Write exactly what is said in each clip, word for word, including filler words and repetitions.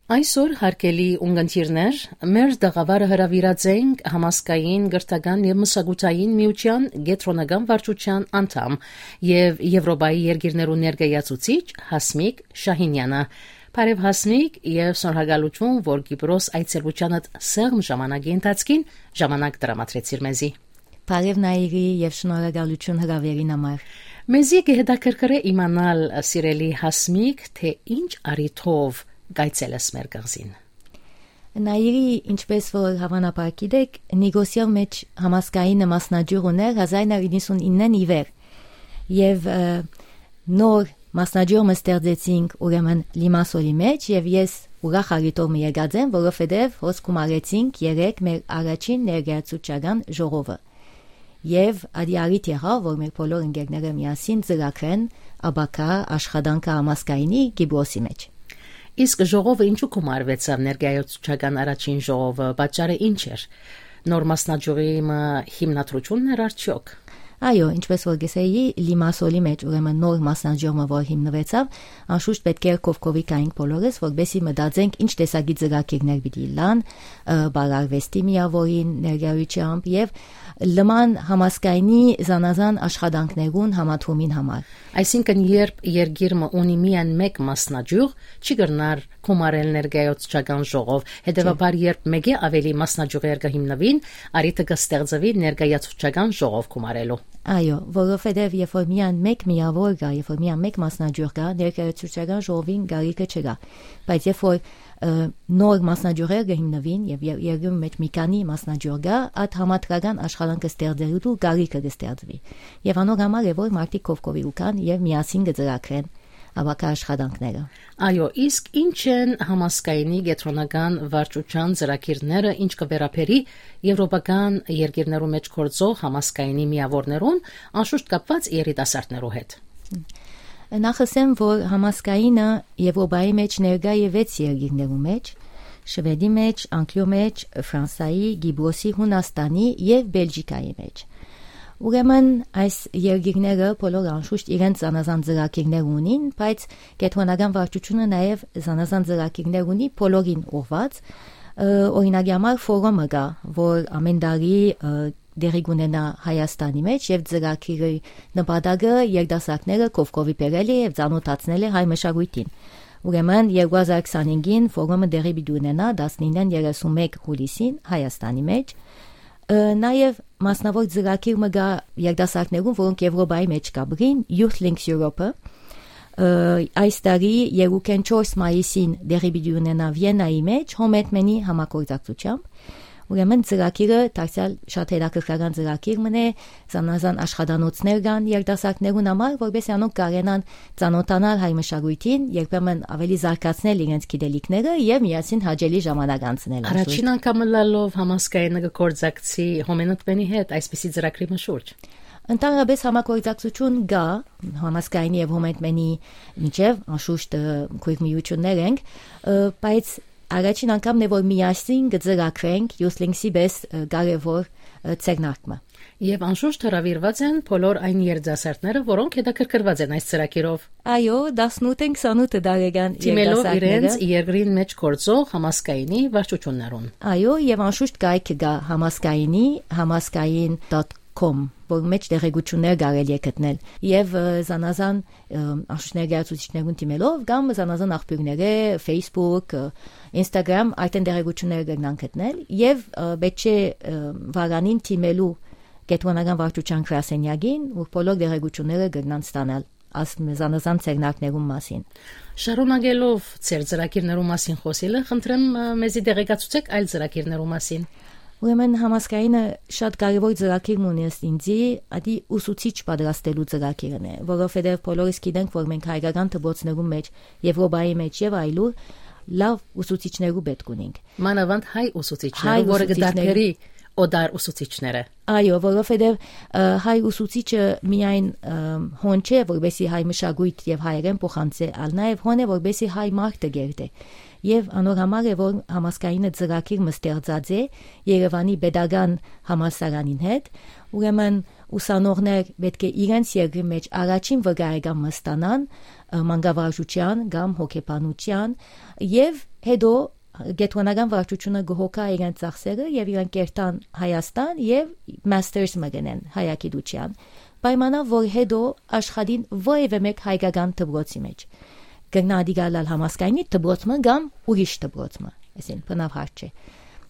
Այսօր, հարգելի ունգընտիրներ, մեր տաղաւարը հրաւիրած ենք Համազգային կրթական եւ մշակութային միութեան կեդրոնական վարչութեան անդամ եւ Եվրոպայի երկիրներու ներկայացուցիչ Հասմիկ Շահինեանը։ Բարեւ, Հասմիկ, եւ շնորհակալութիւն, որ Կիպրոս այցելութեանդ սեղմ ժամանակի ընթացքին ժամանակ տրամադրեցիր մեզի։ Բարեւ, Նայիրի, եւ շնորհակալութիւն հրաւերին համար։ Մեզի կը հետաքրքրէ իմանալ, սիրելի Հասմիկ, թէ ինչ առիթով կայցելես մեր կղզին։ Նայիրի, ինչպես որ հաւանաբար գիտեք, Նիկոսիոյ մէջ Համազգայինը մասնաճիւղ ունէր հազար իննսուն իննէն ի վեր, եւ, ը, նոր մասնաճիւղ մը ստեղծեցինք, ուրեմն, Լիմասոլի մէջ, եւ ես ուրախ առիթով մը եկած եմ, որովհետեւ հոս գումարեցինք երեկ մեր առաջին ներկայացուցչական ժողովը։ Եւ ադի առիթ եղաւ, որ մեր բոլոր ընկերները միասին ծրագրեն ապագայ աշխատանքը Համազգայինի Կիպրոսի մէջ։ Իսկ ժողովը ինչու գումարուեցաւ, ներկայացուցչական առաջին ժողովը, պատճառը ինչ էր։ Նոր մասնաճյուղի մը հիմնադրութիւնն էր արդյոք։ Այո, ինչպես որ կ'ըսէի, Լիմասոլի մէջ, ուրեմն, նոր մասնաճյուղ մը որ հիմնուեցաւ, անշուշտ պէտք է կովկովի գայինք բոլորս, որպեսզի մտածենք ինչ տեսակի ծրագիրներ պիտի ըլլան, ը, բարարուեստի միաւորին ներկայությամբ եւ լման Համազգայինի զանազան աշխատանքներուն համադրումին համար։ Այսինքն, երբ երկիր մը ունի միայն մէկ մասնաճյուղ, չի կրնար գումարել ներկայացուցչական ժողով, հետեւաբար, երբ մէկէ աւելի մասնաճյուղեր կը հիմնուին, առիթը կը ստեղծուի ներկայացուցչական ժողով գումարելու։ Այո, որովհետեւ երբ որ միայն մէկ միաւոր կայ, երբ որ միայն մէկ մասնաճյուղ կայ, ներկայացուցչական ժողովին կարիքը չկայ, բայց երբ որ, ը, նոր մասնաճյուղեր կը հիմնուին եւ ե-, երկրի մէջ մի քանի մասնաճյուղ կայ, այդ համադրական աշխատանքը ստեղծելու կարիքը կը ստեղծուի։ Եւ անոր համար է, որ մարդիկ կովկովի կու գան եւ միասին կը ծրագրեն ապագայ աշխատանքները։ Այո, իսկ ինչ են Համազգայինի կեդրոնական վարչութեան ծրագիրները, ինչ կը վերաբերի եվրոպական երկիրներու մէջ գործող Համազգայինի միաւորներուն, անշուշտ կապուած երիտասարդներու հետ։ Նախ ըսեմ, որ Համազգայինը Եվրոպայի մէջ ներկայ է վեց երկիրներու մէջ, Շուեդի մէջ, Անգլիոյ մէջ, Ֆրանսայի, Կիպրոսի, Յունաստանի եւ Բելգիկայի մէջ։ Ուրեմն, այս երկիրները բոլոր անշուշտ իրենց զանազան ծրագիրներ ունին, բայց կեդրոնական վարչութիւնը նաեւ զանազան ծրագիրներ ունի բոլորին ուղղուած։ Ը, օրինակի համար, ֆորումը կայ, որ ամէն տարի, ը, տեղի կունենայ Հայաստանի մէջ, եւ ծրագիրի նպատակը երիտասարդները կովկովի բերել է եւ ծանօթացնել է հայ մշակոյթին։ Ուրեմն, երկու հազար քսանհինգին ֆորումը տեղի պիտի ունենայ տասնիննէն երեսունմէկ յուլիսին Հայաստանի մէջ։ Ը, նաեւ մասնաւոր ծրագիր մը կայ երիտասարդներուն, որոնք Եվրոպայի մէջ կ'ապրին, Youth Links Europe-ը, ը, այս տարի երկուքէն չորս մայիսին տեղի պիտի ունենայ Վիեննայի մէջ Հոմենտմենի համագործակցությամբ։ Ուրեմն, ծրագիրը դարձեալ շատ հետաքրքրական ծրագիր մըն է, զանազան աշխատանոցներ կան երիտասարդներուն համար, որպեսզի անոնք կարենան ծանօթանալ հայ մշակոյթին, երբեմն աւելի զարգացնել իրենց գիտելիքները եւ միասին հաճելի ժամանակ անցնել։ Առաջին անգամ ըլլալով Համազգայինը կը գործակցի Հոմենտմենի հետ այսպիսի ծրագրի մը շուրջ։ Ընդհանրապես, համագործակցութիւն կայ Համազգայինի եւ Հոմենտմենի միջեւ, անշուշտ, ը, քոյր միութիւններ ենք, ը, բայց առաջին անգամն է, որ միասին կը ծրագրենք Youth Links-ի պես, ը, կարեւոր, ը, ձեռնարկը։ Եւ անշուշտ հրաւիրուած են բոլոր այն երիտասարդները, որոնք հետաքրքրուած են այս ծրագիրով։ Այո, տասնութ են քսանութ տարեկան Դիմելով երիտասարդները իրենց երկրին մէջ գործող Համազգայինի վարչութիւններուն։ Այո, եւ անշուշտ կայքը կայ Համազգայինի, համազգային dot com, որ մէջ տեղեկութիւններ կարելի է գտնել։ Եւ, ը, զանազան, ը, անշուշտ ներկայացուցիչներուն դիմելով կամ զանազան աղբիւրներէ, Facebook, ը, Instagram, արդեն տեղեկութիւնները կրնան գտնել եւ, ը, պէտք չէ, ը, վարանին դիմելու կեդրոնական վարչութեան գրասենյակին, որ բոլոր տեղեկութիւնները կրնան ստանալ այս զանազան ձեռնարկներուն մասին։ Շարունակելով ձեր ծրագիրներու մասին խօսիլը, խնդրեմ, ը, մեզի տեղեկացուցեք այլ ծրագիրներու մասին։ Ուրեմն, Համազգայինը շատ կարեւոր ծրագիր մը ունի ըստ ինձի, ադի ուսուցիչ պատրաստելու ծրագիրն է, որովհետեւ բոլորս գիտենք, որ մենք հայկական դպրոցներուն մէջ, Եվրոպայի մէջ եւ այլուր լաւ ուսուցիչներու պէտք ունենք։ Մանաւանդ հայ ուսուցիչներու, Հայ որը կը ուսուցիչներու։ Դարբերի օտար ուսուցիչները։ Այո, որովհետեւ, ը, հայ ուսուցիչը միայն, ը, հոն չէ, որպեսի հայ մշակոյթ եւ հայերեն փոխանցէ, այլ նաեւ հոն է, որպեսի հայ մարդը կերտէ։ Եվ անոր համար է, որ համազգայինը ծրագիր մը ստեղծած է Երևանի պետական համալսարանին հետ, ուրեմն ուսանողներ պէտք է իրենց երկրի մէջ առաջին վկայական մը ստանան, ը, մանկավարժութեան կամ հոգեբանութեան, եւ հետո կեդրոնական վարչութիւնը կը հոգայ իրենց ծախսերը եւ իրենք կերթան Հայաստան եւ մաստերս մը գնեն հայագիտութեան։ Պայմանով, որ հետո աշխատին որեւէ մէկ հայկական դպրոցի մէջ։ Կրնայ ատիկա ըլլալ համազգայինի դպրոց մը կամ ուրիշ դպրոց մը, այսինքն բնավ հարց չէ։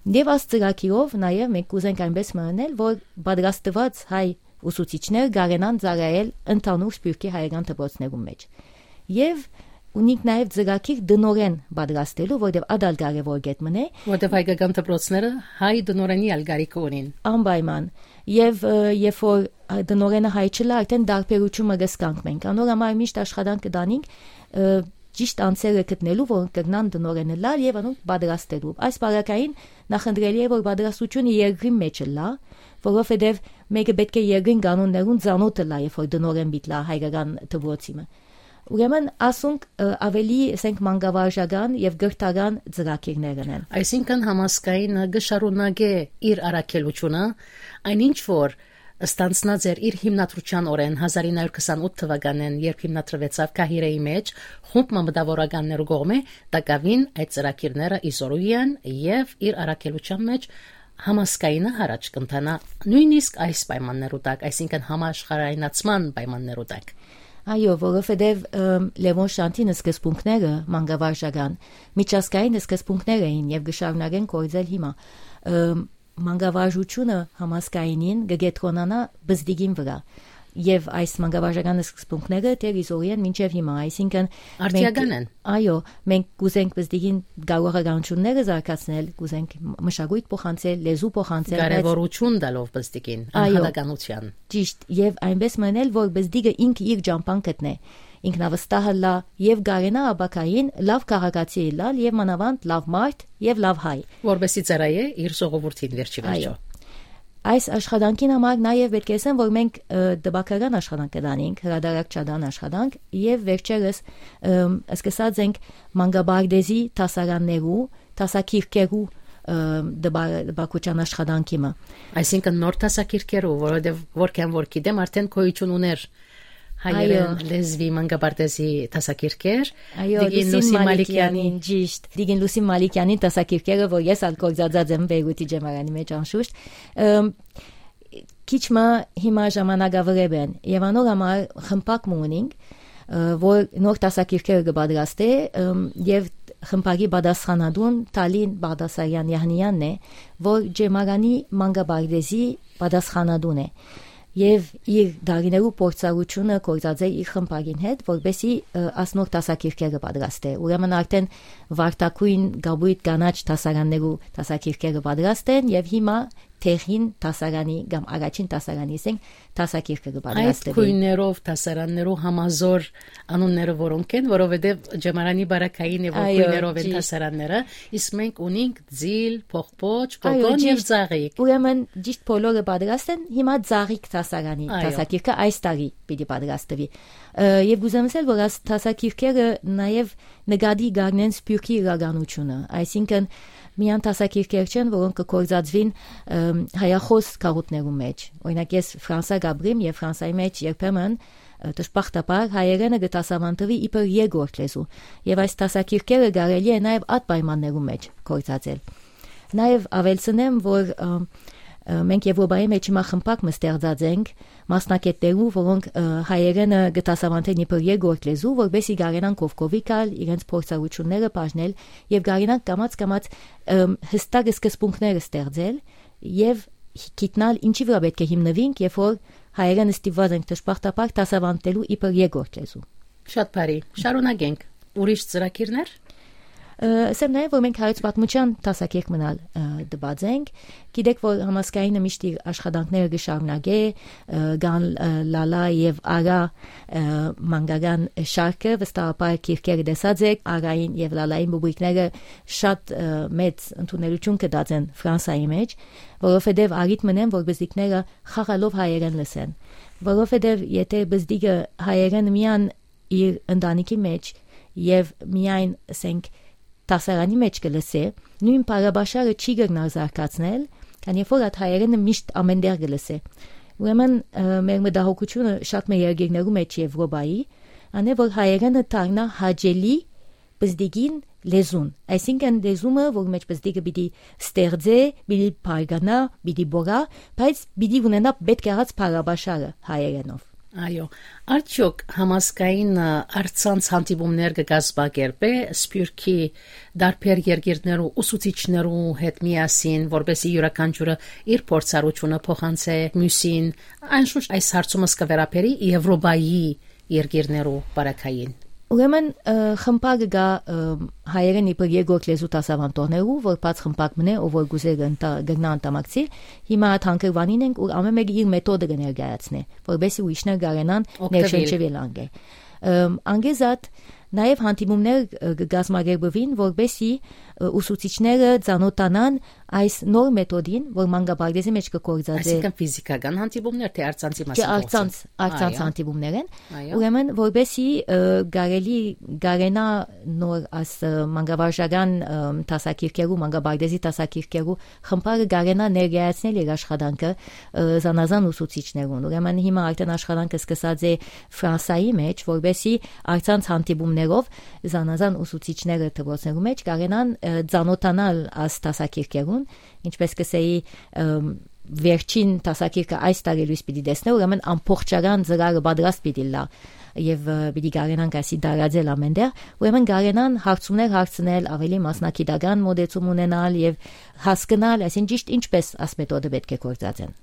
Եւ աս ծրագիրով նաեւ մենք կուզենք այնպես մը ընել, որ պատրաստուած հայ ուսուցիչներ կարենան ծառայել ընդհանուր սփիւռքի հայկական դպրոցներուն մէջ։ Եւ ունինք նաեւ ծրագիր տնօրեն պատրաստելու, որտեղ ատալ կարեւոր կետ մնե։ Որտեղ հայկական դպրոցները հայ տնօրենի ալ կարիքը ունին։ Անպայման։ Եւ, ը, երբ որ, ը, տնօրենը հայ չլա, արդեն տարբերութիւնը կը զգանք մենք։ Անոր համար միշտ աշխատանք կը տանինք, ը, ճիշտ անձերը գտնելու, որոնք կրնան տնօրեն ըլլալ եւ անոնք պատրաստելու։ Այս պարագային նախընտրելի է, որ պատրաստությունը երկրին մէջ ըլլա, որովհետեւ մէկը պէտք է երկրին կանոններուն ծանօթ ըլլայ, երբ որ տնօրեն պիտի լայ հայկական դպրոցի մը։ Ուրեմն, ասոնք, ը, ավելի, ասենք, մանկավարժական եւ կրթական ծրագիրներ են։ Այսինքն, համազգայինը կը շարունակէ իր առաքելութիւնը, այն ինչ որ ստանցնած էր իր հիմնադրութեան օրէն հազար ինը հարիւր քսանութ թուականէն, երբ հիմնադրուեցաւ Կահիրեի մէջ, խումբ մը մտավորականներու կողմէ, տակաւին այդ ծրագիրները ի զորու են եւ իր առաքելութեան մէջ համազգայինը յառաջ կ'ընթանայ նոյնիսկ այս պայմաններու տակ, այսինքն՝ համաշխարհայնացման պայմաններու տակ։ Այո, որովհետեւ, ըմ, Լեւոն Շանթին սկզբունքները մանկավարժական, միջազգային սկզբունքներ էին եւ կը շարունակեն գործել հիմա։ Ըմ, մանկավարժութիւնը համազգայինին կը կեդրոնանայ պզտիկին վրայ։ Եւ այս մանկավարժական սկզբունքները դեռ ի զորի են մինչեւ հիմա, այսինքն՝ Արդիական մենք, են։ Այո, մենք կուզենք պզտիկին կարողականութիւնները զարգացնել, կուզենք մշակոյթ փոխանցել, լեզու փոխանցել, բայց Կարեւորութիւն տալով պզտիկին, Այո։ անհատականութեան։ Ճիշտ, եւ այնպես մնել, որ պզտիկը ինքը իր ճամբան գտնէ, ինքնավստահ ըլլայ եւ կարենայ ապագային լաւ քաղաքացի ըլլալ եւ մանաւանդ լաւ մարդ եւ լաւ հայ։ Որպեսզի ծառայէ իր ժողովուրդին վերջի Այո։ վերջո։ Այս աշխատանքին համար նաեւ պէտք է ասեմ, որ մենք, ը, տպագրական աշխատանք կը տանենք, հրատարակչական աշխատանք, եւ վերջերս, ըմ, սկսած ենք մանկապարտեզի դասարաններու, դասագիրքերու, ը, տպա-, տպագրության աշխատանքի մը։ Այսինքն՝ նոր դասագիրքերու, որովհետեւ, որքան որ գիտեմ, արդեն գոյութիւն ունէր հայերէն Այո։ լեզուի մանկապարտեզի դասագիրքեր։ Այո, Տիկին Լուսին Լուսին Մալիքեանի։ Մալիքեանին, ճիշտ։ Տիկին Լուսին Մալիքեանին դասագիրքերը, որ ես ալ գործածած եմ Բեյրութի Ջեմարանի մէջ, անշուշտ։ Ըմ, քիչ մը հիմա ժամանակավրէ են, եւ անոր համար խմբակ մը ունինք, ը, որ նոր դասագիրքերը կը պատրաստէ, ըմ, եւ խմբակի պատասխանատուն Թալին Բաղդասարեան Յահնիանն է, որ Ջեմարանի մանկապարտեզի պատասխանատուն է։ Եւ իր դարիներու փորձառութիւնը գործած է իր խմբակին հետ, որպեսզի, ը, աս նոր դասագիրքերը պատրաստէ։ Ուրեմն արդեն վարդագոյն կապոյտ կանաչ դասարաններու դասագիրքերը պատրաստ են, եւ հիմա տեղին դասարանի կամ առաջին դասարանի, ասենք, դասագիրքը կը Այդ պատրաստվի։ գոյներով դասարաններու համազոր անունները որոնք են, որովհետեւ Ջեմարանի բարակային է, որ Այո, գոյներով են ճիշտ։ դասարանները, իսկ մենք ունենք ձիլ, փողփոչ, Այո, կոկոն եւ ճիշտ։ Ծաղիկ։ Ուրեմն ճիշտ բոլորը պատրաստ են, հիմա Ծաղիկ դասարանի Այո։ դասագիրքը այս տարի պիտի պատրաստվի։ Ը, եւ կուզեմ ասել, որ այս դասագիրքերը նաեւ նկատի կ'առնեն սփիւռքի իրականութիւնը, այսինքն՝ միայն դասագիրքեր չեն, որոնք կը գործածուին, ըմ, հայախոս գաղութներու մէջ։ Օրինակ, ես Ֆրանսա կ'ապրեմ եւ Ֆրանսայի մէջ երբեմն, ը, դժբախտաբար հայերէնը կը դասաւանդուի իբր երկրորդ լեզու, եւ այս դասագիրքերը կարելի է նաեւ այդ պայմաններու մէջ գործածել։ Նաեւ աւելցնեմ, որ, ը, ը, մենք Եւրոպայի մէջ հիմա խմբակ մը ստեղծած ենք մասնագետներու, որոնք, ը, հայերէնը կը դասաւանդեն իբր երկրորդ լեզու, որպեսզի կարենան կողքովի գալ, իրենց փորձառութիւնները բաժնել եւ կարենան կամաց-կամաց, ը, յստակ սկզբունքները ստեղծել եւ գիտնալ ինչի վրայ պէտք է հիմնուինք, երբ որ հայերէնը ստիպուած ենք դժբախտաբար դասաւանդելու իբր երկրորդ լեզու։ Շատ բարի, շարունակենք։ Ուրիշ ծրագիրներ։ Ը, ըսեմ նաեւ, որ մենք հայոց պատմութեան դասագիրք մնալ, ը, տուած ենք։ Գիտեք, որ Համազգայինը միշտ իր աշխատանքները կը շարունակէ, ը, կան, ը, Լալա եւ Արա, ը, մանկական շարքը, վստահաբար գիրքերը տեսած եք, Արային եւ Լալային պուբլիկները շատ, ը, մեծ ընդունելութիւն կը տածեն Ֆրանսայի մէջ, որովհետեւ առիթ մնեն, որ պզտիկները խաղալով հայերէն լսեն։ Որովհետեւ եթե պզտիկը հայերէն միան իր ընտանիքի մէջ եւ միայն, ասենք, դասարանի մէջ կը լսէ, նոյն բառապաշարը չի կրնար զարգացնել, քանի որ այդ հայերէնը միշտ ամէնտեղ կը լսէ։ Ուրեմն, ը, մեր մտահոգութիւնը շատ մը երկիրներու մէջ Եվրոպայի, անէ որ հայերէնը դառնայ հաճելի պզտիկին լեզուն, այսինքն լեզումը, որ մէջ պզտիկը պիտի ստեղծէ, պիտի բարգանայ, պիտի բորա, բայց պիտի ունենայ պետք եղած բառապաշարը հայերէնով։ Այո, արդյոք Համազգայինը, ը, առցանց հանդիպումներ կը կազմակերպէ Սփիւռքի տարբեր երկիրներու ուսուցիչներու հետ միասին, որպեսզի իւրաքանչիւրը իր փորձառութիւնը փոխանցէ միւսին։ Անշուշտ այս հարցումը կը վերաբերի Եվրոպայի երկիրներու պարագային։ Ուրեմն, ը, խմբակը կայ, ը, հայերէն իբր երկրորդ լեզու դասաւանդողներու, որ բաց խմբակ մնէ, ով որ կ'ուզէ կ'ընտա-, կրնայ անդամակցի, հիմա այդ հանգրուանին ենք, ուր ամէն մէկը իր մեթոդը կը ներկայացնէ, որպեսզի ուրիշներ կարենան Օգտվել։ Ներշնչվել անգէ։ Ըմ, անգեզատ, նաեւ հանդիպումներ, ը, կը կազմակերպուին, որպեսզի, ը, ուսուցիչները ծանօթանան այս նոր մեթոդին, որ մանկապարտեզի մէջ կը գործածէ։ Այսինքն ֆիզիքական հանդիպումներ, թե առցանցի Չէ, մասին առցանց, գործը։ Առցանց Այո։ Հանդիպումներ են։ Այո։ Ուրեմն, որպեսզի, ը, կարելի, կարենայ նոր աս, ը, մանկավարժական, ը, դասագիրքերու, մանկապարտեզի դասագիրքերու խմբակը կարենայ ներկայացնել իր աշխատանքը, ը, զանազան ուսուցիչներուն։ Ուրեմն հիմա արդեն աշխատանքը սկսած է Ֆրանսայի մէջ, որպեսզի առցանց հանդիպումներով զանազան ուսուցիչները դպրոցներու մէջ կարենան, ը, ծանօթանալ աս դասագիրքերուն, ինչպես կ'ըսէի, ը, վերջին դասագիրքը այս տարի լոյս պիտի տեսնէ, ուրեմն ամբողջական ծրարը պատրաստ պիտի լա եւ, ը, պիտի կարենանք ասի տարածել ամէնտեղ, ուրեմն կարենան հարցումներ հարցնել, ավելի մասնագիտական մոտեցում ունենալ եւ հասկնալ, այսինքն ճիշտ ինչպես աս մեթոդը պէտք է գործածեն։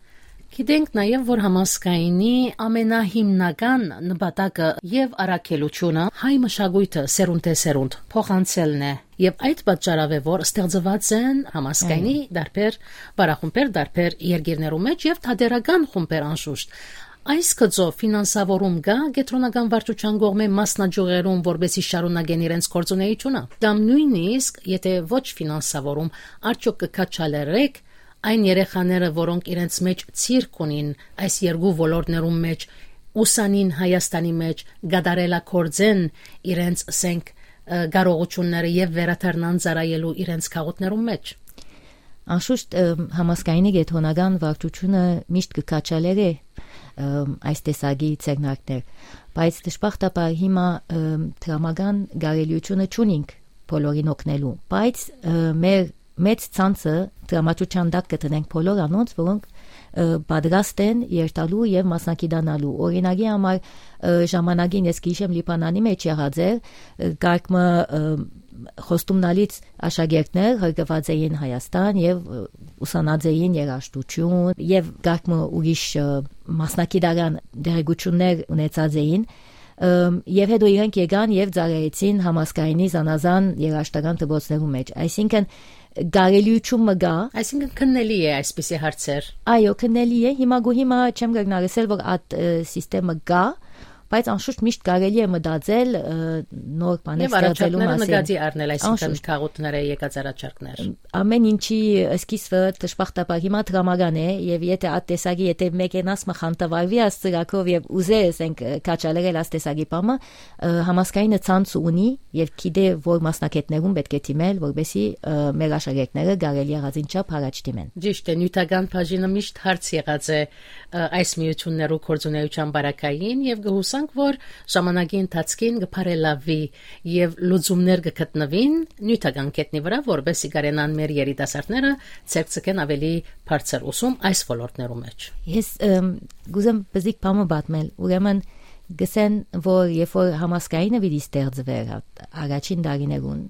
Գիտենք նաեւ, որ Համազգայինի ամենահիմնական նպատակը եւ առաքելութիւնը հայ մշակոյթը սերունդէ սերունդ փոխանցելն է, եւ այդ պատճառով է, որ ստեղծուած են Համազգայինի Այո։ Տարբեր պարախումբեր, տարբեր երկիրներու մէջ եւ թատերական խումբեր անշուշտ։ Այս գծով ֆինանսավորում կա կեդրոնական վարչութեան կողմէ մասնաճյուղերուն, որպեսզի շարունակեն իրենց գործունեութիւնը։ Կամ նոյնիսկ, եթե ոչ ֆինանսավորում, արդյոք կը քաջալերեք այն երեխաները, որոնք իրենց մէջ ցիրկ ունին այս երկու ոլորտներուն մէջ, ուսանին Հայաստանի մէջ, կատարելագործեն իրենց, ասենք, ը, կարողութիւնները եւ վերադառնան ծառայելու իրենց քաղաքներուն մէջ։ Անշուշտ, ը, Համազգայինի կեդրոնական վարչութիւնը միշտ կը քաջալերէ, ը, այս տեսակի ձեռնարկներ, բայց դժբախտաբար հիմա, ը, դրամական կարելիութիւնը չունինք բոլորին օգնելու, բայց, ը, մեր մեծ ցանցը դրամատրութեան տակ կը դնենք բոլոր անոնց, որոնք, ը, պատրաստ են երթալու եւ մասնակցանալու։ Օրինակի համար, ը, ժամանակին ես կ'հիշեմ Լիբանանի մէջ եղած էր, ը, կարգ մը, ը, խոստումնալից աշակերտներ ղրկուած էին Հայաստան եւ, ը, ուսանած էին երաժշտություն եւ կարգ մը ուրիշ, ը, մասնագիտական տեղեկություններ ունեցած էին, ը, եւ հետո իրենք եկան եւ ծառայեցին Համազգայինի զանազան երաժշտական դպրոցներու մէջ։ Այսինքն, կարելիութիւն մը կա։ Այսինքն, քննելի է այսպիսի հարցեր։ Այո, քննելի է։ Հիմա գո-, հիմա չեմ կրնար ասել, որ այդ, ը, սիստեմը կա, բայց անշուշտ միշտ կարելի է մտածել, ը, նոր բաներ Եւ ստեղծելու առաջարկները մասին։ Նկատի առնել, այսինքն Անշուշտ։ Քաղաքները եկած առաջարկներ։ Ամեն ինչի սկիզբը դժբախտաբար հիմա դրամական է, եւ եթե այդ տեսակի, եթե մեկենաս մը խանդավառվի այս ծրագրով եւ ուզե, ասենք, քաջալերել այս տեսակի բանը, ը, Համազգայինը ցանց ունի եւ գիտէ, որ մասնագետներուն պէտք է դիմել, որպեսզի, ը, մեր աշակերտները կարելի եղածին չափ առաջ դիմեն։ Ճիշտ է, նիւթական բաժինը միշտ հարց եղած է, ը, այս միութիւններու գործունեութեան պարագային եւ կը յուսանք, որ ժամանակի ընթացքին կը բարելաւի եւ լուծումներ կը գտնուին նիւթական գետնի վրայ, որպեսզի կարենան մեր երիտասարդները ձեռք ձգեն ավելի բարձր ուսում այս ոլորտներու մէջ։ Ես, ըմ, կ'ուզեմ բզիկ բան մը պատմել, ուրեմն գսեն, որ երբ որ Համազգայինը պիտի ստեղծվեր, հա, առաջին տարիներուն,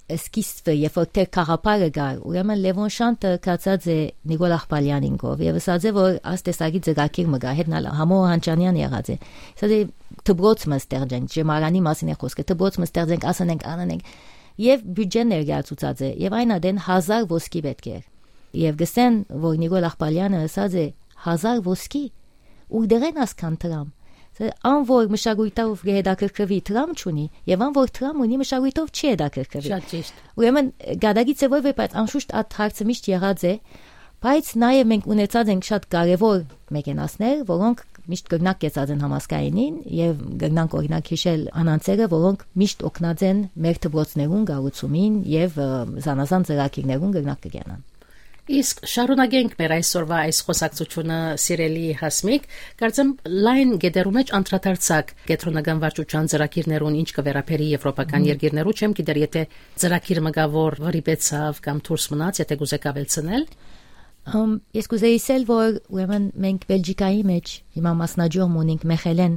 սկիզբը, երբ որ դեռ գաղափարը կար, ուրեմն Լեւոն Շանթը գացած է Նիկոլ Աղբալյանին կով եւ ըսած է, որ աս տեսակի ծրագիր մը կա, հետն ալ Համո Հանճանեան եղած է։ Ըսած է, դպրոց մը ստեղծենք, Ջեմարանի մասին է խոսքը, դպրոց մը ստեղծենք, ասեն ենք, անեն ենք։ Եւ բիւտճեն ներկայացուցած է, եւ այն ատեն հազար ոսկի պէտք էր։ Եւ գսեն, որ Նիկոլ Աղբալյանը ըսած է. «Հազար ոսկի, ուրդեղէն ասքան դրամ»։ Սա ան որ մշակոյթով կը հետաքրքրուի, դրամ չունի, եւ ան որ դրամ ունի, մշակոյթով չի հետաքրքրուի։ Շատ ճիշտ։ Ուրեմն, գադագի ձեւով է, բայց անշուշտ այդ հարցը միշտ եղած է, բայց նաեւ մենք ունեցած ենք շատ կարեւոր մեքենասներ, որոնք միշտ կրնակ կեցած են համազգայինին, եւ կրնանք, օրինակ, հիշել անանցերը, որոնք միշտ օգնած են մեր դպրոցներուն կառուցումին եւ, ը, զանազան ծրագիրներուն կրնակ կգնան։ Իսկ շարունակենք մեր այսօրվա այս խոսակցությունը, սիրելի Հասմիկ, կարծեմ լայն գետերու մեջ անդրադարձակ կեդրոնական վարչության ծրագիրներուն, ինչ կը վերաբերի եվրոպական երկիրներու, չեմ գիտեր, եթե ծրագիր մը կայ, որ վրիպեցաւ կամ դուրս մնաց, եթե կուզեք աւելցնել։ Ըմ, ես կուզեի ասել, որ ուրեմն մենք Բելգիկայի մեջ հիմա մասնաճյուղ մը ունենք Մեխելեն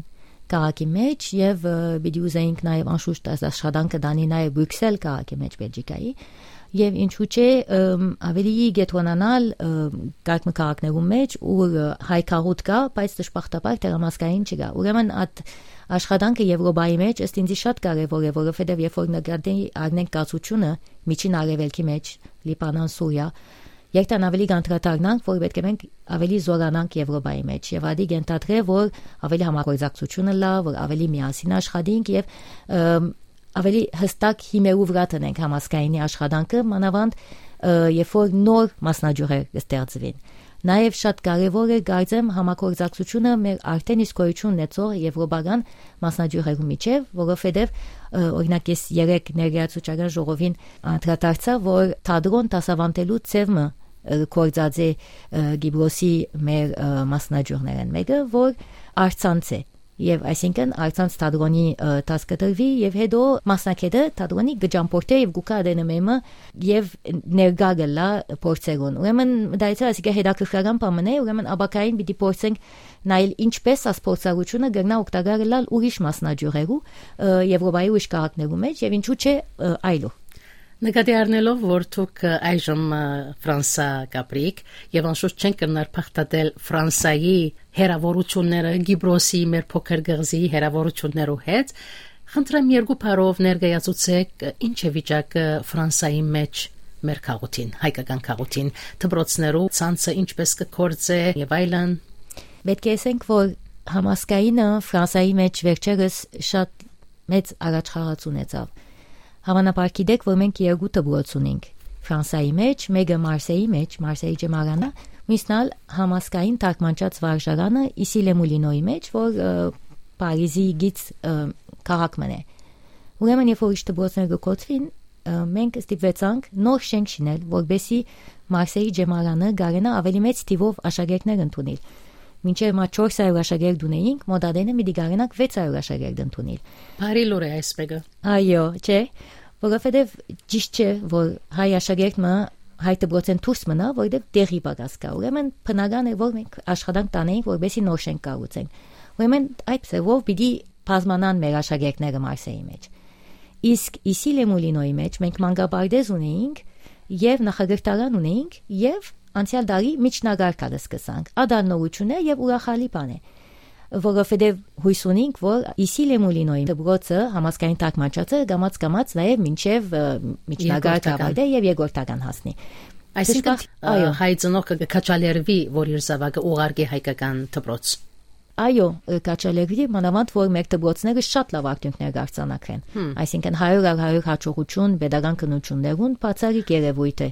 քաղաքի մեջ, եւ, ը, պիտի ուզեինք նաեւ անշուշտ այս աշխատանքը տանի նաեւ Բրիքսել քաղաքի մեջ Բելգիկայի, եւ ինչու՞ չէ, ըմ, ավելի կեդրոնանալ, ը, կարգ մը քաղաքներու մեջ, ուր, ը, հայ գաղութ կայ, բայց դժբախտաբար դեռ համազգային չկայ։ Ուրեմն այդ աշխատանքը Եվրոպայի մեջ ըստ ինձի շատ կարեւոր է, որովհետեւ երբ որ նկատի առնենք կացությունը Միջին Արեւելքի մեջ, Լիբանան, Սուրիա, երթան ավելի կանդրադառնանք, որ պէտք է մենք ավելի զօրանանք Եվրոպայի մեջ, եւ ադի կ'ենթադրէ, որ ավելի համագործակցությունը լա, որ ավելի միասին աշխատինք եւ, ըմ, ավելի հստակ հիմերու վրայ դնենք համազգայինի աշխատանքը, մանաւանդ, ը, երբ որ նոր մասնաճյուղեր կստեղծուին։ Նաեւ շատ կարեւոր է, կարծեմ, համագործակցությունը մեր արդեն իսկ գոյություն ունեցող եվրոպական մասնաճյուղերու միջեւ, որովհետեւ, ը, օրինակ, ես երեկ ներկայացուցչական ժողովին անդրադարձայ, որ թատրոն դասաւանդելու ձեւ մը, ը, գործած է, ը, Կիպրոսի մեր, ը, մասնաճյուղներէն մէկը, որ առցանց է։ Եւ այսինքն առցանց թատրոնի, ը, դաս կը տրուի, եւ հետո մասնագէտը թատրոնի կը ճամփորդէ եւ կու գայ ադենը մեմը եւ ներկայ կ'ըլլայ փորձերուն։ Ուրեմն, դայցը ասիկա հետաքրքրական բան մըն է, ուրեմն ապագային պիտի փորձենք նայել ինչպես աս փորձառութիւնը կրնայ օգտակար ըլլալ ուրիշ մասնաճյուղերու, ը, Եվրոպայի ուրիշ քաղաքներու մեջ եւ ինչու՞ չէ, ը, այլուր։ Նկատի առնելով, որ դուք, ը, այժմ, ը, Ֆրանսա կ'ապրիք եւ անշուշտ չենք կրնար փախտատել Ֆրանսայի հեռաւորութիւնները, Կիպրոսի, մեր փոքր կղզիի հեռաւորութիւններու հետ, խնդրեմ երկու բառով ներկայացուցեք, ը, ինչ է վիճակը Ֆրանսայի մեջ մեր գաղութին, հայկական գաղութին, դպրոցներու ցանցը ինչպես կը գործէ եւ այլն։ Պէտք է ասենք, որ համազգայինը Ֆրանսայի մեջ վերջերս շատ մեծ առաջխաղաց ունեցաւ։ Հաւանաբար գիտեք, որ մենք երկու դպրոց ունենք Ֆրանսայի մեջ, մէկը Մարսեի մեջ, Մարսեի Ջեմարանը, մյուսն ալ համազգային թարգմանչաց վարժարանը Issy-les-Moulineaux-ի մեջ, որ, ը, Փարիզի գից, ը, քաղաք մըն է։ Ուրեմն, երբ որ ուրիշ դպրոցներ կը կոչուին, ը, մենք ստիպուեցանք նոր շենք շինել, որպեսզի Մարսեի Ջեմարանը կարենայ ավելի մեծ թիւով աշակերտներ ընդունիլ։ Մինչեւ մը չորս հարիւր աշակերտ ունէինք, մօտ ադենը պիտի կարենանք վեց հարիւր աշակերտ ընդունիլ։ Բարի լուր է այս մէկը։ Այո, չէ, որովհետեւ ճիշտ չէ, որ հայ աշակերտ մը հայ դպրոցէն դուրս մնայ, որովհետեւ տեղի պակաս կայ։ Ուրեմն բնական է, որ մենք աշխատանք տանենք, որպեսզի նոր շենք կառուցենք։ Ուրեմն այդ ձեւով պիտի բազմանան մեր աշակերտները Մարսեի մեջ։ Իսկ Issy-les-Moulineaux-ի մեջ մենք մանկապարտեզ ունեինք եւ նախակրթարան ունեինք եւ անցեալ տարի միջնակարգ ալ սկսանք։ Ադալ նորութիւն է եւ ուրախալի բան է, որովհետեւ յոյս ունենք, որ Issy-les-Moulineaux-ի դպրոցը, համազգային թարգմանչացը կամաց-կամաց նաեւ մինչեւ, ը, միջնակարգ երկրորդական։ Կ'ավարտէ եւ երկրորդական հասնի։ Այսինքն, Դժբախ-, ը, այո։ Հայ ծնողքը կը քաջալերուի, որ իր զաւակը ուղարկի հայկական դպրոց։ Այո, ը, քաջալերուի, մանաւանդ որ մեր դպրոցները շատ լաւ արդյունքներ կ'արձանագրեն։ Հմ։ Այսինքն հարիւր առ հարիւր հաջողութիւն պետական քննութիւններուն բացառիկ երեւոյթ է։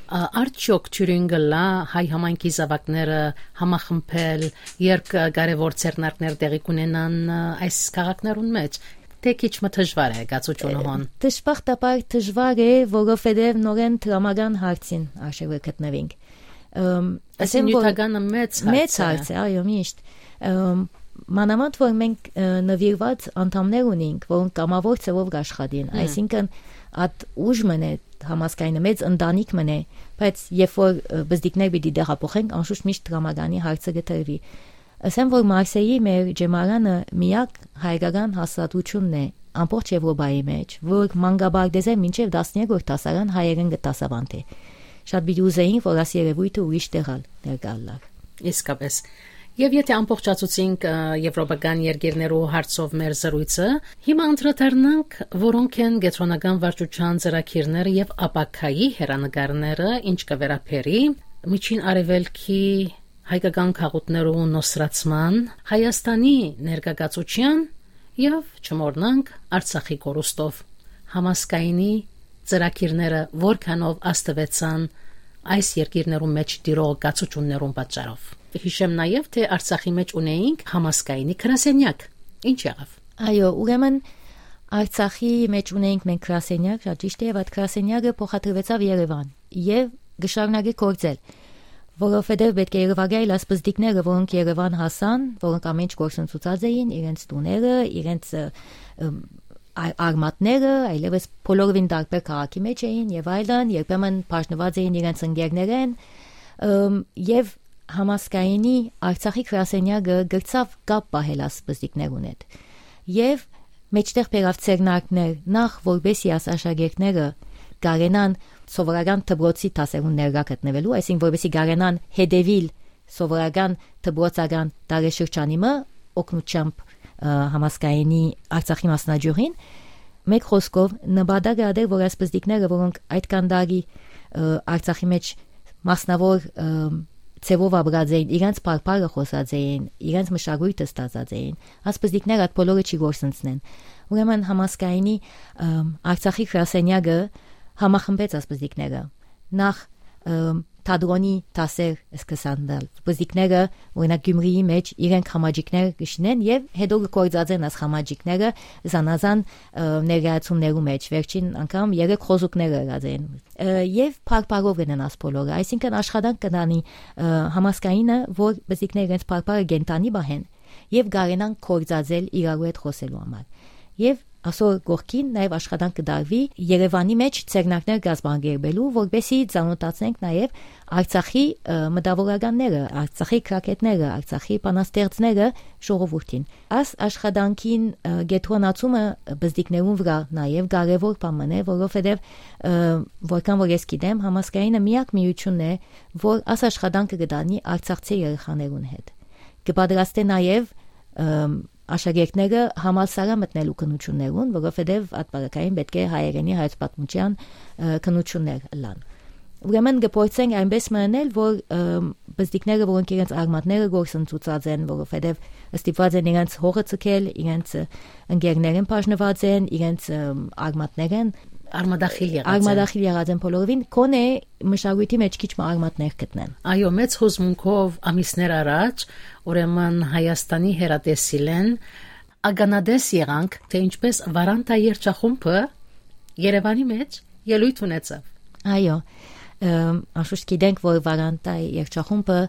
Ա, արդյոք թիւրին կ'ըլլայ հայ համայնքի զաւակները համախմբել, երբ, ը, կարեւոր ձեռնարկներ տեղի կունենան, ը, այս քաղաքներուն մեջ, թէ քիչ մը դժուար է կացութիւնը հոն։ Դժբախտաբար դժուար է, որովհետեւ նորէն դրամական հարցին արժեւը գտնուինք։ Ըմ, Այսինքն ասեմ, որ նիւթականը մեծ հարց է։ Մեծ հարց է, այո, միշտ։ Ըմ, մանաւանդ որ մենք, ը, նվիրված անդամներ ունենք, որոնք կամավոր ձևով կ'աշխատին, Հմ։ Այսինքն այդ ուժ մըն է, համազգայինը մեծ ընտանիք մըն է, բայց երբ որ, ը, բզդիկներ պիտի տեղափոխենք, անշուշտ միշտ դրամականի հարցը կը տրուի։ Ասեմ, որ Մարսեի մեր ջեմարանը միակ հայկական հաստատութիւնն է ամբողջ Եվրոպայի մեջ, որ մանկապարտեզէ մինչեւ տասներկրորդ դասարան հայերէն կը դասաւանդէ։ Շատ պիտի ուզեինք, որ այս երեւոյթը ուրիշ տեղ ալ ներկայ ըլլար։ Իսկապես։ Եվ եթե ամբողջացուցինք, ը, եվրոպական երկիրներու հարցով մեր զրույցը, հիմա անդրադառնանք, որոնք են կեդրոնական վարչության ծրագիրները եւ ապագայի հեռանկարները, ինչ կը վերաբերի Միջին Արեւելքի հայկական գաղութներու նոսրացման, Հայաստանի ներկայացուցչական եւ, չմոռնանք, Արցախի կորուստով։ Համազգայինի ծրագիրները որքանով ազդուեցան այս երկիրներու մէջ տիրող կացություններուն պատճառով։ Յիշեմ նաեւ, թէ Արցախի մէջ ունեինք Համազգայինի գրասենեակ։ Ինչ եղաւ։ Այո, ուրեմն Արցախի մէջ ունեինք մենք գրասենեակ, շատ ճիշդ է, եւ այդ գրասենեակը փոխադրուեցաւ Երևան եւ կը շարունակէ գործել, որովհետեւ պէտք է Երևանայ լաց պզտիկները, որոնք Երևան հասան, որոնք ամէն ինչ գործընծուցած էին, իրենց տուները, իրենց, ը, ը, ա-, արմատները, այլեւս բոլորովին տարբեր քաղաքի մէջ էին եւ այլն, երբեմն բաժնուած էին իրենց ընկերներէն, ըմ, եւ Համազգայինի Արցախի գրասենեակը կրցաւ կապ պահել այս պզտիկներուն հետ։ Եւ մէջտեղ բերաւ ձեռնարկներ, նախ որպեսզի այս աշակերտները կարենան սովորական դպրոցի դասերուն ներկայ գտնուելու, այսինքն որպեսզի կարենան հետեւիլ սովորական դպրոցական տարեշրջանի մը օգնությամբ, ը, Համազգայինի Արցախի մասնաճյուղին։ Մեկ խօսքով, նպատակը ատեր, որ այս պզտիկները, որոնք այդ կան տարի, ը, Արցախի մէջ մասնաւոր, ը, ձեւով ապրած էին, իրենց բարբառը խօսած էին, իրենց մշակոյթը ստացած էին, այս պզտիկները այդ բոլորը չի գործընծնեն։ Ուրեմն Համազգայինի, ը, Արցախի գրասենեակը համախմբեց այս պզտիկները։ Նախ, ը, թատրոնի դասեր սկսան տալ։ Պզտիկները, օրինակ, Գյումրիի մէջ իրենք խմաճիկներ կը շինեն եւ հետո կը գործածեն այս խմաճիկները զանազան, ը, ներկայացումներու մէջ։ Վերջին անգամ երեք խոզուկներ եղած են։ Ը, եւ բարբառով կ'ընեն այս բոլորը, այսինքն աշխատանք կը տանի, ը, Համազգայինը, որ պզտիկները իրենց բարբառը կենդանի պահեն եւ կարենան գործածել իրարու հետ խօսելու համար։ Եւ ասոր կողքին նաեւ աշխատանք կը տարուի Երեւանի մէջ ձեռնարկներ կազմակերպելու, որպեսզի ծանօթացնենք նաեւ Արցախի, ը, մտավորականները, Արցախի գրագէտները, Արցախի բանաստեղծները ժողովուրդին։ Այս աշխատանքին, ը, կեդրոնացումը պզտիկներուն վրայ նաեւ կարեւոր բան մըն է, որովհետեւ, ը, որքան որ ես գիտեմ, Համազգայինը միակ միությունն է, որ այս աշխատանքը կը տանի արցախցի երեխաներուն հետ։ Կը պատրաստէ նաեւ, ը, աշակերտները համալսարան մտնելու քննութիւններուն, որովհետեւ այդ պարագային պէտք է հայերէնի, հայոց պատմութեան, ը, քննութիւններ ըլլան։ Ուրեմն կը փորձենք այնպէս մը ընել, որ, ը, պզտիկները, որոնք իրենց արմատները գործընծուցած են, որովհետեւ ստիպված են իրենց հողը ձգել, իրենց, ը, ընկերներէն բաժնուած են, իրենց, ը, արմատներէն արմատախիլ եղած են։ Արմատախիլ եղած են բոլորովին, քոնէ մշակոյթի մէջ քիչ մը արմատներ գտնեն։ Այո, մեծ հուզմունքով ամիսներ առաջ, ուրեմն Հայաստանի հեռատեսիլէն ականատես եղանք, թէ ինչպես Վարանտա երգչախումբը Երեւանի մէջ ելոյթ ունեցաւ։ Այո, ըմ, անշուշտ գիտենք, որ Վարանտա երգչախումբը,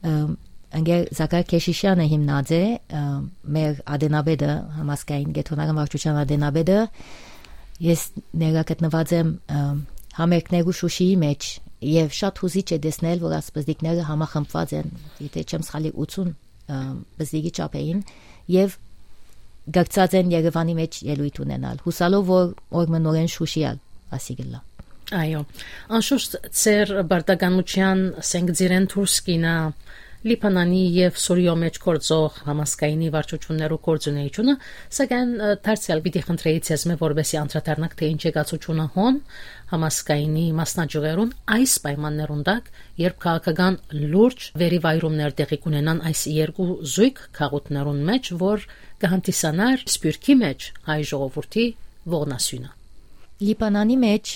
ըմ, ընկեր Զաքար Քեշիշյանը հիմնած է, ըմ, մեր ատենապետը, Համազգային կեդրոնական վարչության ատենապետը։ Ես ներկայ գտնուած եմ, ըմ, համերգներու Շուշիի մէջ եւ շատ հուզիչ է տեսնել, որ այս պզտիկները համախմբուած են, եթե չեմ սխալիր, ութսուն, ըմ, պզտիկի չափ էին եւ գաղցած են Երեւանի մէջ ելոյթ ունենալ, հուսալով, որ օր մը նորէն Շուշի ալ ասի կ'ըլլայ։ Այո, անշուշտ ձեր պարտականութեան սենկցիլէն դուրս կ'իյնայ Լիբանանի եւ Սուրիոյ մէջ գործող Համազգայինի վարչություններու գործունէութիւնը, սակայն, ը, դարձեալ պիտի խնդրեի ձեզմէ, որպեսզի անդրադառնաք, թէ ինչ եկացութիւնը հոն Համազգայինի մասնաճիւղերուն այս պայմաններուն տակ, երբ քաղաքական լուրջ վերիվայրումներ տեղի կունենան այս երկու զոյգ գաղութներուն մէջ, որ կը հանդիսանար Սփիւռքի մէջ հայ ժողովուրդի ողնասիւնը։ Լիբանանի մէջ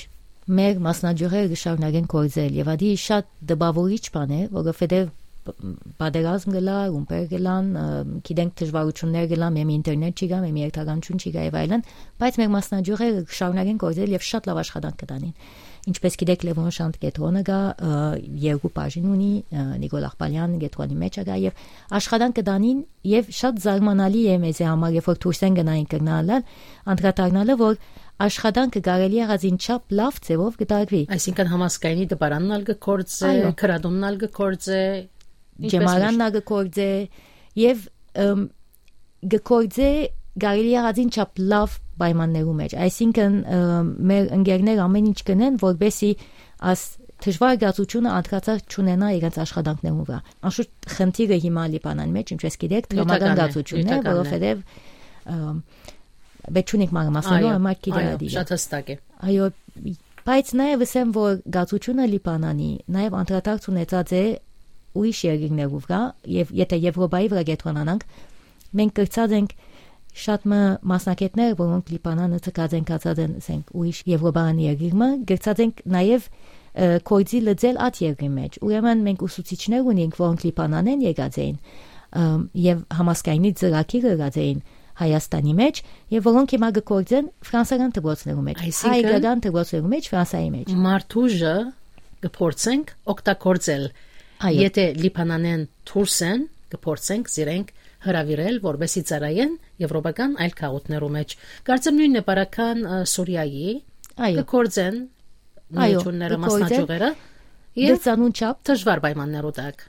մեր մասնաճիւղերը կը շարունակեն գործել եւ ադի շատ տպաւորիչ բան է, որովհետեւ ਪ-, պատերազմ կ'ըլլայ, ռումբեր կ'ըլլան, ը, գիտենք դժուարութիւններ կ'ըլլան, մեմի ինտերնետ չի գայ, մեմի երթականչիւն չի գայ եւ այլն, բայց մեր մասնաճիւղերը կը շարունակեն գործել եւ շատ լաւ աշխատանք կը տանին։ Ինչպես գիտեք, Լեւոն Շանթ կեդրոնը կայ, ը, երկու բաժին ունի, ը, Նիկոլ Աղբալեան կեդրոնի մէջ ա գայ եւ աշխատանք կը տանին եւ շատ զարմանալի է մեզի համար, երբ որ դուրս են գնային կրնալալ, անդրադառնալը, որ աշխատանքը կարելի եղածին չափ լաւ ձեւով կը տարուի։ Այսինքն Համազգայինի դպարանն ալ կը գործէ, այո, գրատունն ալ կը գործէ, ինչպես ճեմարանն միշտ ալ կը գործէ եւ, ըմ, կը գործէ կարելի եղածին չափ լաւ պայմաններու մէջ։ Այսինքն, ը, մեր ընկերներ ամէն ինչ կ'ընեն, որպեսզի աս դժուար կացութիւնը անդրադարձ չունենայ իրենց աշխատանքներուն վրայ։ Անշուշտ խնդիրը հիմա Լիբանանի մէջ, ինչպես գիտեք, դրամական Նիւթականն է, կացութիւնն է, նիւթականն է։ Որովհետեւ, ը, պետք չունենք մանրամասներու, Այո, այլ մարդ գիտի այո, ադիգը։ Շատ հստակ է։ Այո, բայց նաեւ ասեմ, որ կացութիւնը Լիբանանի նաեւ անդրադարձ ունեցած է ուրիշ երկիրներու վրայ, եւ եթե Եվրոպայի վրայ կեդրոնանանք, մենք կրցած ենք շատ մը մասնագետներ, որոնք Լիբանանը ցկած են, գացած են, ասենք, ուրիշ Եվրոպական երկիր մը, կրցած ենք նաեւ, ը, կորձի լծել այդ երկրի մեջ։ Ուրեմն մենք ուսուցիչներ ունենք, որոնք Լիբանանեն եկած էին, ը, եւ համասկայնի ծրագիրը ըրած էին Հայաստանի մեջ, եւ որոնք հիմա կկործեն ֆրանսական դպրոցներու մեջ, Այսինքն հայկական դպրոցներու մեջ, Ֆրանսայի մեջ։ Մարդուժը կփորձենք օգտագործել։ Այո։ Եթե Լիբանանեն դուրս են, կփորձենք զիրենք հրավիրել, որպեսզի ծառայեն եվրոպական այլ քաղաքներու մեջ։ Կարծեմ նույնն է պարական, ը, Սուրիայի, Այո։ կկործեն Այո, միությունները, կկործեն։ Մասնաճյուղերը, եւ Դրսանուն չափ։ դժվար պայմաններու տակ։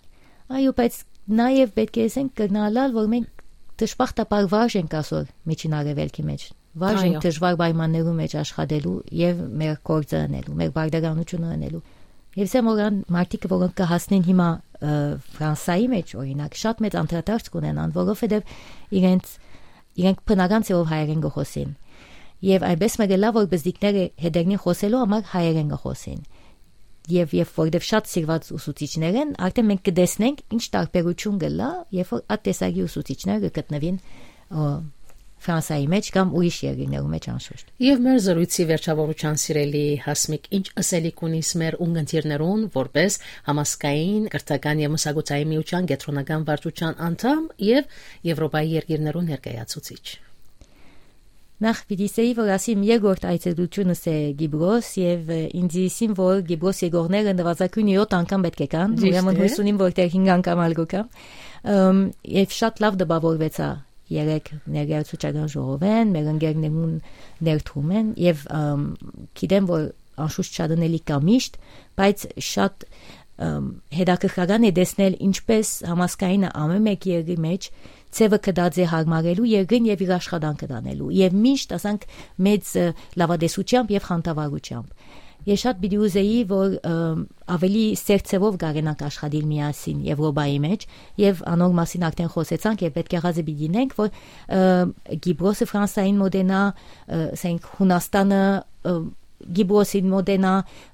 Այո, բայց նաեւ պետք է ասենք կրնալալ, որ մենք դժբախտաբար վարժ ենք ասոր Միջին Արեւելքի մեջ։ Վարժ ենք Այո։ դժվար պայմաններու մեջ աշխատելու եւ մեր գործը ընելու, մեր բարդականությունը ընելու։ Եւ սեմ օրան մարդիկ, որոնք կհասնեն հիմա, ը, Ֆրանսայի մեջ, օրինակ, շատ մեծ անդրադարձ կունենան, որովհետեւ իրենց, իրենք բնական ձեւով հայերեն կխոսին։ Եւ այնպես մը կ'ըլլայ, որ բզդիկները հետերնին խոսելու համար հայերեն կխոսին։ Եւ, եւ որովհետեւ շատ սիրված ուսուցիչներ են, արդեն մենք կտեսնենք ինչ տարբերություն կ'ըլլայ, երբ որ այդ տեսակի ուսուցիչներ կգտնվին, ը, Ֆրանսայի մեջ կամ ուրիշ երկիրներու մեջ անշուշտ։ Եվ մեր զրույցի վերջավորության, սիրելի Հասմիկ, ինչ ըսելիք ունիս մեր ունգընտիրներուն, որպես համազգային, կրթական եւ մշակութային միության կեդրոնական վարչության անդամ եւ Եվրոպայի երկիրներու ներկայացուցիչ։ Նախ պիտի սեի, որ ասիմ երկրորդ այցելությունս է Կիպրոս, եւ, ը, ինձ իսին, որ Կիպրոս եկողները նվազագույնը յոթ անգամ պետք է կան, Ճիշտ ուրեմն է։ հույս ունիմ, որ դեռ հինգ անգամ ալ կգամ։ Ըմ, եւ շատ լաւ տպավորվեցայ երեկ ներկայացուցչական ժողովեն, մեր ընկերներուն ներդրումեն, եւ, ըմ, գիտեմ, որ անշուշտ շատ ընելի կա միշտ, բայց շատ, ըմ, հետաքրքրական է տեսնել, ինչպես համազգայինը ամեն մէկ երկրի մեջ ձեւը կտած է յարմարելու երկրին եւ իր աշխատանքը տանելու, եւ միշտ, ասանք, մեծ, ը, լաւատեսությամբ եւ խանդավառությամբ։ Ես շատ պիտի ուզեի, որ, ըմ, ավելի սերտ ձևով կարենանք աշխատիլ միասին Եվրոպայի մեջ, եւ անոր մասին արդեն խոսեցանք, եւ պետք եղածը պիտի նենք, որ, ը, Կիպրոսը Ֆրանսային մոտենայ, ը, ասենք, Հունաստանը, ը, Կիպրոսին մոտենայ,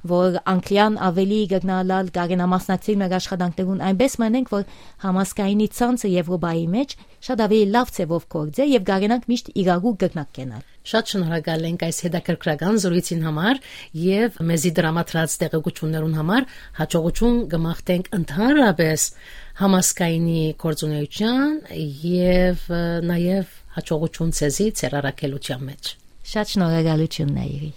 որ Անգլիան ավելի կրնալալ կարենայ մասնակցիլ մեր աշխատանքներուն, այնպես մնենք, որ համազգայինի ցանցը Եվրոպայի մեջ շատ ավելի լաւ ձևով գործէ եւ կարենանք միշտ իրարու կրնակ կենալ։ Շատ շնորհակալ ենք այս հետաքրքրական զրույցին համար եւ մեզի տրամադրած տեղեկություններուն համար։ Հաջողություն կմաղթենք ընդհանրապես համազգայինի գործունեության եւ, ը, նաեւ հաջողություն ձեզի ձեր առաքելության մեջ։ Շատ շնորհակալություն, Նայիրի։